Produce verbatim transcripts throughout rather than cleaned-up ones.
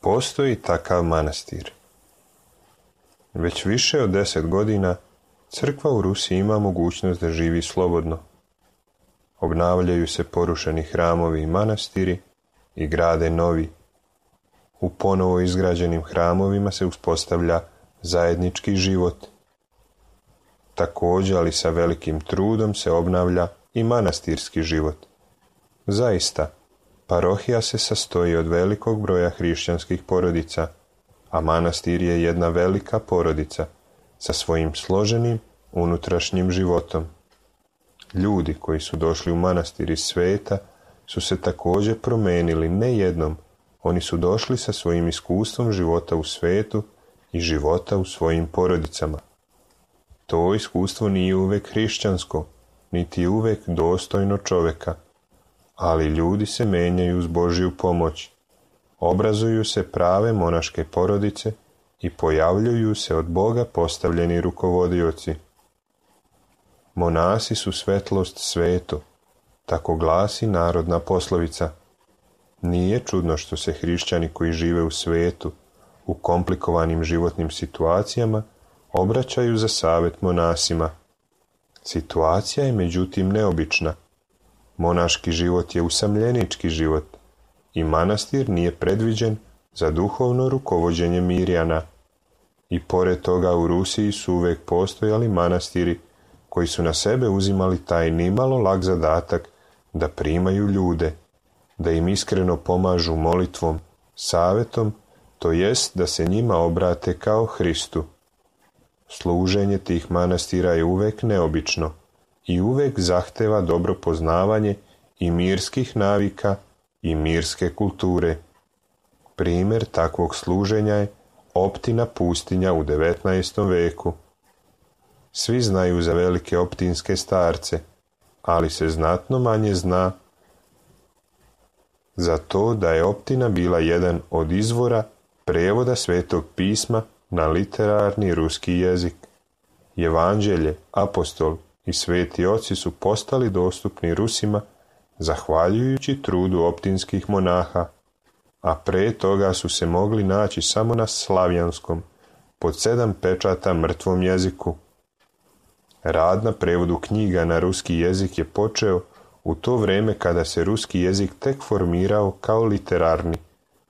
Postoji takav manastir. Već više od deset godina crkva u Rusiji ima mogućnost da živi slobodno. Obnavljaju se porušeni hramovi i manastiri i grade novi. U ponovo izgrađenim hramovima se uspostavlja zajednički život. Također, ali sa velikim trudom, se obnavlja i manastirski život. Zaista, parohija se sastoji od velikog broja hrišćanskih porodica, a manastir je jedna velika porodica sa svojim složenim unutrašnjim životom. Ljudi koji su došli u manastir iz sveta su se također promenili ne jednom. Oni su došli sa svojim iskustvom života u svetu i života u svojim porodicama. To iskustvo nije uvek hrišćansko, niti uvek dostojno čoveka, ali ljudi se menjaju uz Božju pomoć. Obrazuju se prave monaške porodice i pojavljuju se od Boga postavljeni rukovodioci. Monasi su svetlost svetu, tako glasi narodna poslovica. Nije čudno što se hrišćani koji žive u svetu, u komplikovanim životnim situacijama, obraćaju za savjet monasima. Situacija je međutim neobična. Monaški život je usamljenički život i manastir nije predviđen za duhovno rukovođenje mirjana. I pored toga u Rusiji su uvijek postojali manastiri koji su na sebe uzimali taj nimalo lak zadatak da primaju ljude, da im iskreno pomažu molitvom, savjetom, to jest da se njima obrate kao Hristu. Služenje tih manastira je uvijek neobično i uvijek zahteva dobro poznavanje i mirskih navika i mirske kulture. Primjer takvog služenja je Optina pustinja u devetnaestom veku. Svi znaju za velike optinske starce, ali se znatno manje zna za to da je Optina bila jedan od izvora prevoda Svetog pisma na literarni ruski jezik. Evanđelje, apostol i sveti oci su postali dostupni Rusima zahvaljujući trudu optinskih monaha, a pre toga su se mogli naći samo na slavjanskom, pod sedam pečata mrtvom jeziku. Rad na prevodu knjiga na ruski jezik je počeo u to vrijeme kada se ruski jezik tek formirao kao literarni,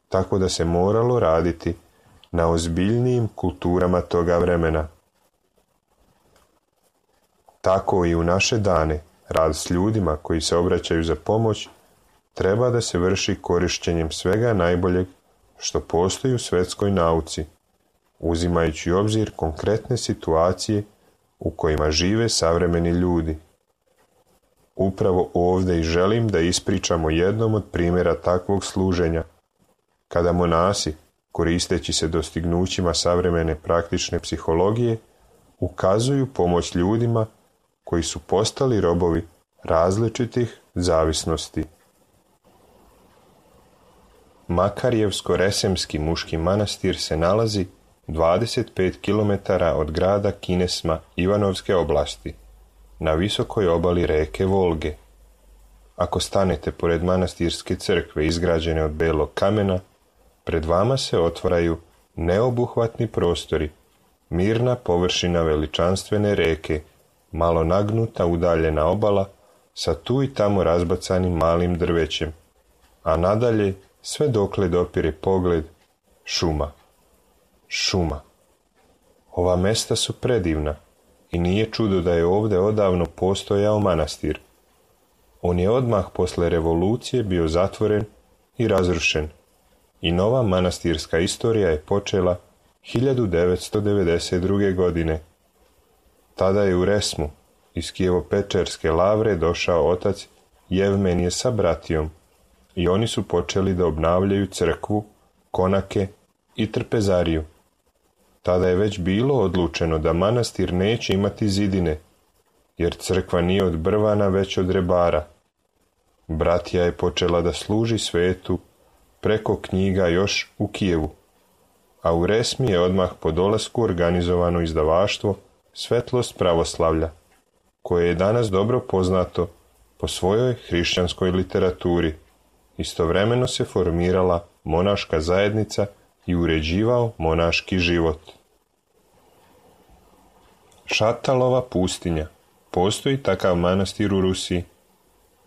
tako da se moralo raditi na ozbiljnijim kulturama toga vremena. Tako i u naše dane rad s ljudima koji se obraćaju za pomoć treba da se vrši korištenjem svega najboljeg što postoji u svetskoj nauci, uzimajući u obzir konkretne situacije u kojima žive savremeni ljudi. Upravo ovdje i želim da ispričamo jednom od primjera takvog služenja, kada monasi, koristeći se dostignućima savremene praktične psihologije, ukazuju pomoć ljudima koji su postali robovi različitih zavisnosti. Makarjevsko-Resemski muški manastir se nalazi dvadeset pet kilometara od grada Kinesma Ivanovske oblasti, na visokoj obali reke Volge. Ako stanete pored manastirske crkve izgrađene od belog kamena, pred vama se otvaraju neobuhvatni prostori, mirna površina veličanstvene reke, malo nagnuta udaljena obala sa tu i tamo razbacanim malim drvećem, a nadalje, sve dokle dopire pogled, šuma. Šuma. Ova mesta su predivna i nije čudo da je ovdje odavno postojao manastir. On je odmah posle revolucije bio zatvoren i razrušen i nova manastirska istorija je počela hiljadu devetsto devedeset druge. godine. Tada je u Resmu iz Kijevo-Pečerske lavre došao otac Jevmenije sa bratijom i oni su počeli da obnavljaju crkvu, konake i trpezariju. Tada je već bilo odlučeno da manastir neće imati zidine, jer crkva nije od brvana već od rebara. Bratija je počela da služi svetu preko knjiga još u Kijevu, a u Resmi je odmah po dolasku organizovano izdavaštvo Svetlost pravoslavlja, koje je danas dobro poznato po svojoj hrišćanskoj literaturi. Istovremeno se formirala monaška zajednica i uređivao monaški život. Šatalova pustinja. Postoji takav manastir u Rusiji.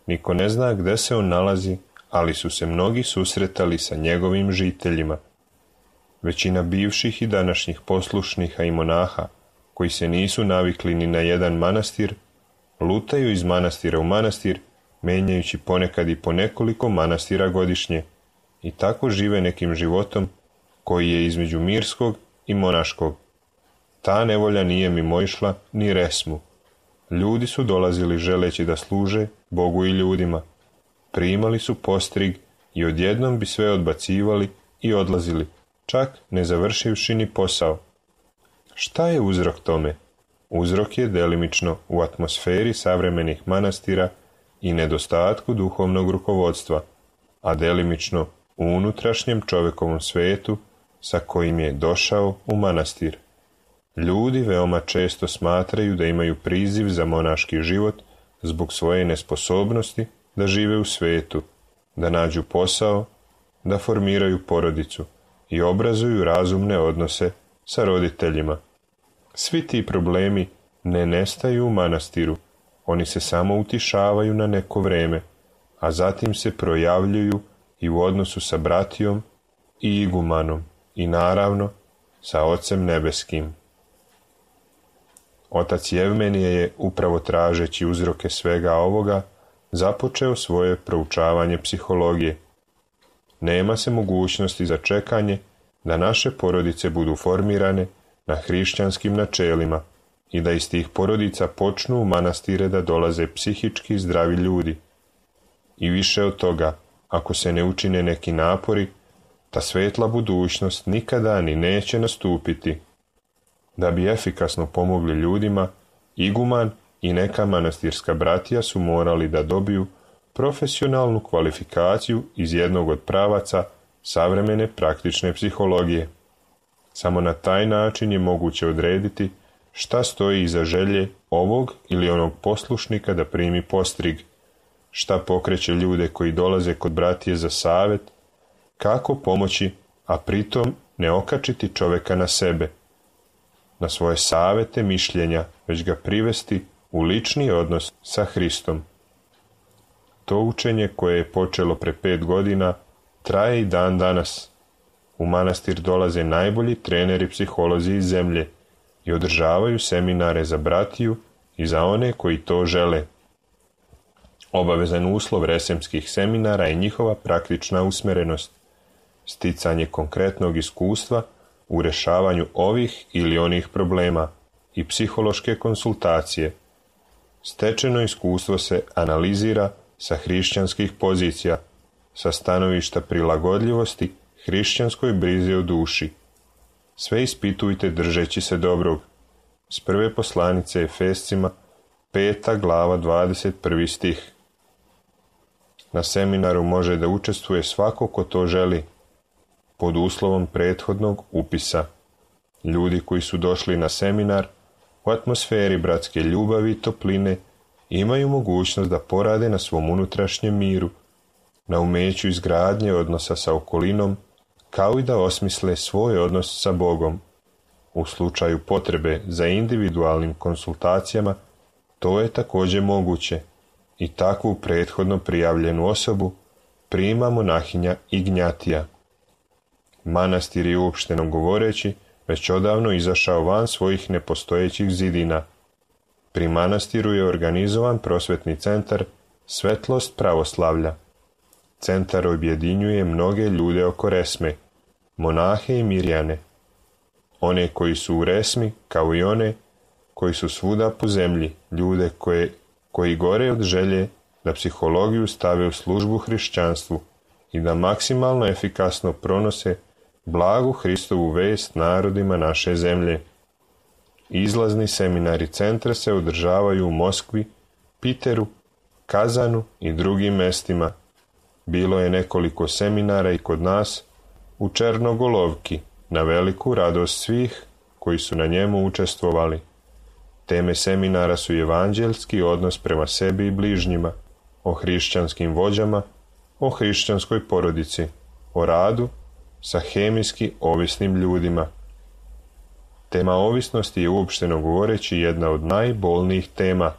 Niko ne zna gde se on nalazi, ali su se mnogi susretali sa njegovim žiteljima. Većina bivših i današnjih poslušnika i monaha, koji se nisu navikli ni na jedan manastir, lutaju iz manastira u manastir, menjajući ponekad i po nekoliko manastira godišnje, i tako žive nekim životom koji je između mirskog i monaškog. Ta nevolja nije mimoišla ni Resmu. Ljudi su dolazili želeći da služe Bogu i ljudima. Primali su postrig i odjednom bi sve odbacivali i odlazili, čak ne završivši ni posao. Šta je uzrok tome? Uzrok je delimično u atmosferi savremenih manastira i nedostatku duhovnog rukovodstva, a delimično u unutrašnjem čovekovom svetu sa kojim je došao u manastir. Ljudi veoma često smatraju da imaju priziv za monaški život zbog svoje nesposobnosti da žive u svetu, da nađu posao, da formiraju porodicu i obrazuju razumne odnose sa roditeljima. Svi ti problemi ne nestaju u manastiru, oni se samo utišavaju na neko vreme, a zatim se projavljuju i u odnosu sa bratijom i igumanom i naravno sa Ocem nebeskim. Otac Jevmenije je, upravo tražeći uzroke svega ovoga, započeo svoje proučavanje psihologije. Nema se mogućnosti za čekanje da naše porodice budu formirane na hrišćanskim načelima i da iz tih porodica počnu u manastire da dolaze psihički zdravi ljudi. I više od toga, ako se ne učine neki napori, ta svetla budućnost nikada ni neće nastupiti. Da bi efikasno pomogli ljudima, iguman i neka manastirska bratija su morali da dobiju profesionalnu kvalifikaciju iz jednog od pravaca savremene praktične psihologije. Samo na taj način je moguće odrediti šta stoji iza želje ovog ili onog poslušnika da primi postrig, šta pokreće ljude koji dolaze kod bratije za savjet, kako pomoći, a pritom ne okačiti čoveka na sebe, na svoje savete, mišljenja, već ga privesti u lični odnos sa Hristom. To učenje koje je počelo pre pet godina traje i dan danas. U manastir dolaze najbolji treneri psiholozi iz zemlje i održavaju seminare za bratiju i za one koji to žele. Obavezan uslov resemskih seminara je njihova praktična usmerenost, sticanje konkretnog iskustva u rešavanju ovih ili onih problema i psihološke konsultacije. Stečeno iskustvo se analizira sa hrišćanskih pozicija, sa stanovišta prilagodljivosti hrišćanskoj brizi o duši. Sve ispitujte držeći se dobrog. S prve poslanice Efescima, peta glava, dvadeset prvi stih. Na seminaru može da učestvuje svako ko to želi, pod uslovom prethodnog upisa. Ljudi koji su došli na seminar u atmosferi bratske ljubavi i topline imaju mogućnost da porade na svom unutrašnjem miru, na umeću izgradnje odnosa sa okolinom, kao i da osmisle svoj odnos sa Bogom. U slučaju potrebe za individualnim konsultacijama to je također moguće i takvu prethodno prijavljenu osobu prima monahinja Ignjatija. Manastir je, uopšteno govoreći, već odavno izašao van svojih nepostojećih zidina. Pri manastiru je organizovan prosvetni centar Svetlost pravoslavlja. Centar objedinjuje mnoge ljude oko resme, monahe i mirjane. One koji su u resmi, kao i one koji su svuda po zemlji, ljude koje, koji gore od želje da psihologiju stave u službu hrišćanstvu i da maksimalno efikasno pronose blagu Hristovu vest narodima naše zemlje. Izlazni seminari centra se održavaju u Moskvi, Piteru, Kazanu i drugim mestima. Bilo je nekoliko seminara i kod nas u Černogolovki, na veliku radost svih koji su na njemu učestvovali. Teme seminara su evanđelski odnos prema sebi i bližnjima, o hrišćanskim vođama, o hrišćanskoj porodici, o radu sa hemijski ovisnim ljudima. Tema ovisnosti je, uopšteno govoreći, jedna od najbolnijih tema.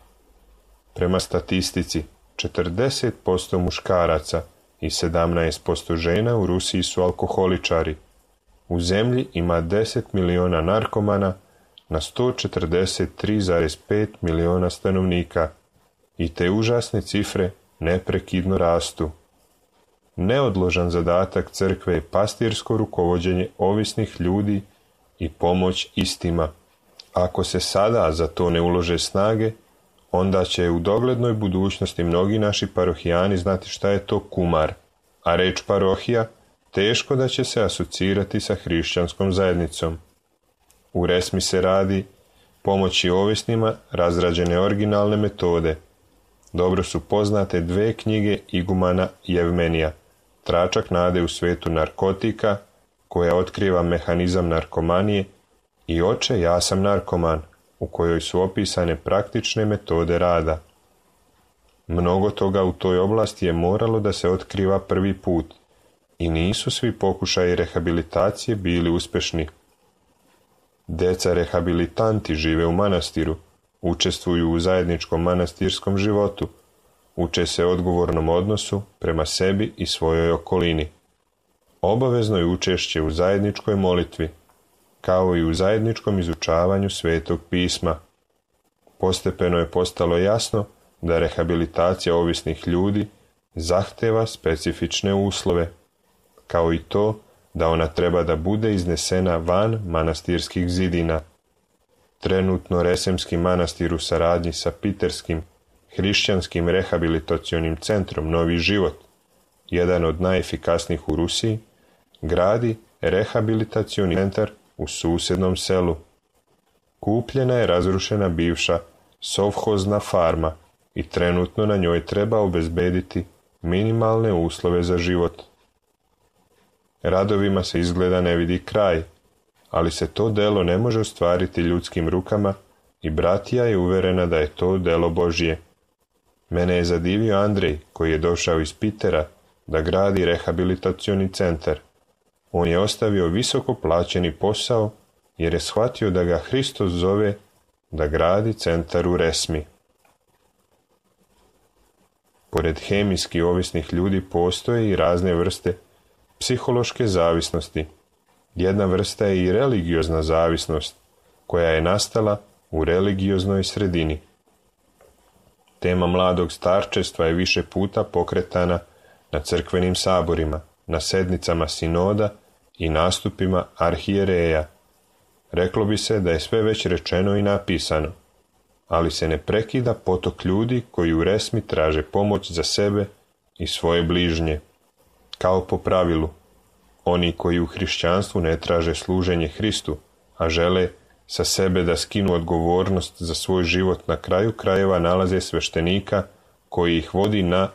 Prema statistici, četrdeset posto muškaraca i sedamnaest posto žena u Rusiji su alkoholičari. U zemlji ima deset miliona narkomana na sto četrdeset tri zarez pet miliona stanovnika i te užasne cifre neprekidno rastu. Neodložan zadatak crkve je pastirsko rukovođenje ovisnih ljudi i pomoć istima. Ako se sada za to ne ulože snage, onda će u doglednoj budućnosti mnogi naši parohijani znati šta je to kumar, a reč parohija teško da će se asocirati sa hrišćanskom zajednicom. U resmi se radi pomoći ovisnima razrađene originalne metode. Dobro su poznate dve knjige igumana Jevmenija, Tračak nade u svetu narkotika, koja otkriva mehanizam narkomanije, i Oče, ja sam narkoman, u kojoj su opisane praktične metode rada. Mnogo toga u toj oblasti je moralo da se otkriva prvi put i nisu svi pokušaji rehabilitacije bili uspešni. Deca rehabilitanti žive u manastiru, učestvuju u zajedničkom manastirskom životu, uče se odgovornom odnosu prema sebi i svojoj okolini. Obavezno je učešće u zajedničkoj molitvi. kao i u zajedničkom izučavanju Svetog pisma. Postepeno je postalo jasno da rehabilitacija ovisnih ljudi zahteva specifične uslove, kao i to da ona treba da bude iznesena van manastirskih zidina. Trenutno Resemski manastir u saradnji sa Piterskim hrišćanskim rehabilitacionim centrom Novi život, jedan od najefikasnijih u Rusiji, gradi rehabilitacioni centar u susjednom selu. Kupljena je razrušena bivša sovhozna farma i trenutno na njoj treba obezbediti minimalne uslove za život. Radovima se izgleda ne vidi kraj, ali se to delo ne može ostvariti ljudskim rukama i bratija je uverena da je to delo Božje. Mene je zadivio Andrej, koji je došao iz Pitera da gradi rehabilitacioni centar. On je ostavio visoko plaćeni posao jer je shvatio da ga Hristos zove da gradi centar u Resmi. Pored hemijski ovisnih ljudi postoje i razne vrste psihološke zavisnosti. Jedna vrsta je i religiozna zavisnost, koja je nastala u religioznoj sredini. Tema mladog starčestva je više puta pokretana na crkvenim saborima, na sednicama sinoda i nastupima arhijereja. Reklo bi se da je sve već rečeno i napisano, ali se ne prekida potok ljudi koji u Resmi traže pomoć za sebe i svoje bližnje. Kao po pravilu, oni koji u hrišćanstvu ne traže služenje Hristu, a žele sa sebe da skinu odgovornost za svoj život, na kraju krajeva nalaze sveštenika koji ih vodi na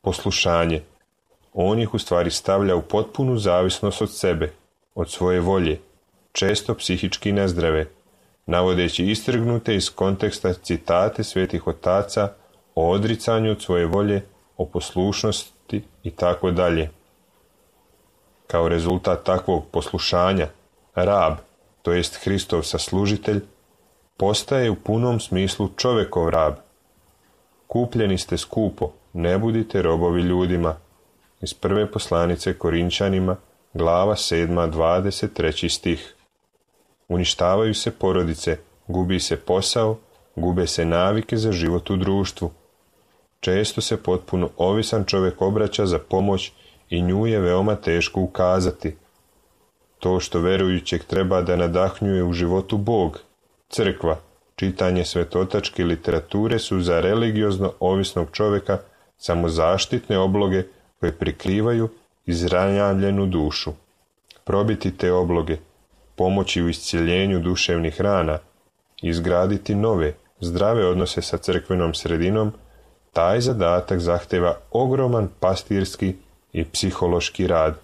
poslušanje. On ih u stvari stavlja u potpunu zavisnost od sebe, od svoje volje, često psihički nezdrave, navodeći istrgnute iz konteksta citate svetih otaca o odricanju od svoje volje, o poslušnosti i tako dalje. Kao rezultat takvog poslušanja, rab, to jest Hristov saslužitelj, postaje u punom smislu čovekov rab. Kupljeni ste skupo, ne budite robovi ljudima. Iz prve poslanice Korinčanima, glava sedma, dvadeset treći stih. Uništavaju se porodice, gubi se posao, gube se navike za život u društvu. Često se potpuno ovisan čovjek obraća za pomoć i nju je veoma teško ukazati. To što verujućeg treba da nadahnjuje u životu Bog, crkva, čitanje svetotačke literature su za religiozno ovisnog čovjeka samo zaštitne obloge koje prikrivaju izranjavljenu dušu. Probiti te obloge, pomoći u iscjeljenju duševnih rana, izgraditi nove, zdrave odnose sa crkvenom sredinom, taj zadatak zahteva ogroman pastirski i psihološki rad.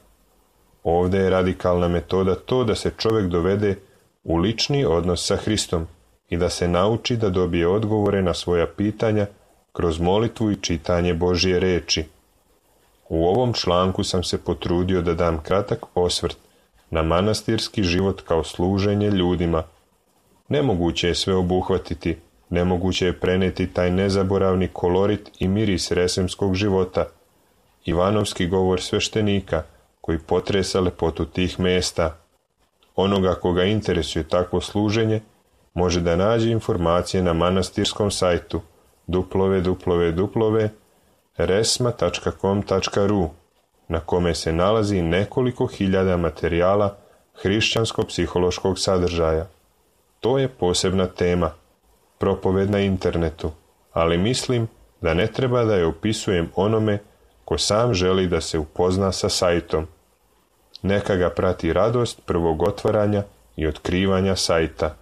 Ovdje je radikalna metoda to da se čovjek dovede u lični odnos sa Hristom i da se nauči da dobije odgovore na svoja pitanja kroz molitvu i čitanje Božje reči. U ovom članku sam se potrudio da dam kratak osvrt na manastirski život kao služenje ljudima. Nemoguće je sve obuhvatiti, nemoguće je preneti taj nezaboravni kolorit i miris resemskog života, Ivanovski govor sveštenika koji potresa lepotu tih mesta. Onoga koga interesuje takvo služenje može da nađe informacije na manastirskom sajtu w w w tačka resma tačka com tačka r u, na kome se nalazi nekoliko hiljada materijala hrišćansko-psihološkog sadržaja. To je posebna tema, propoved na internetu, ali mislim da ne treba da je opisujem onome ko sam želi da se upozna sa sajtom. Neka ga prati radost prvog otvaranja i otkrivanja sajta.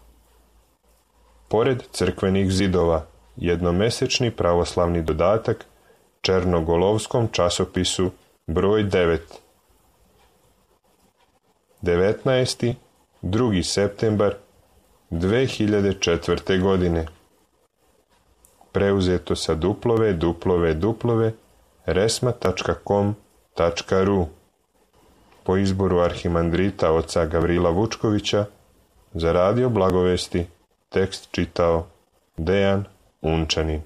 Pored crkvenih zidova, jednomesečni pravoslavni dodatak Černogolovskom časopisu broj devet. devetnaesti drugi septembar dve hiljade četvrte. godine. Preuzeto sa w w w tačka resma tačka com tačka r u. Po izboru arhimandrita oca Gavrila Vučkovića, za radio Blagovesti tekst čitao Dejan Unčanin.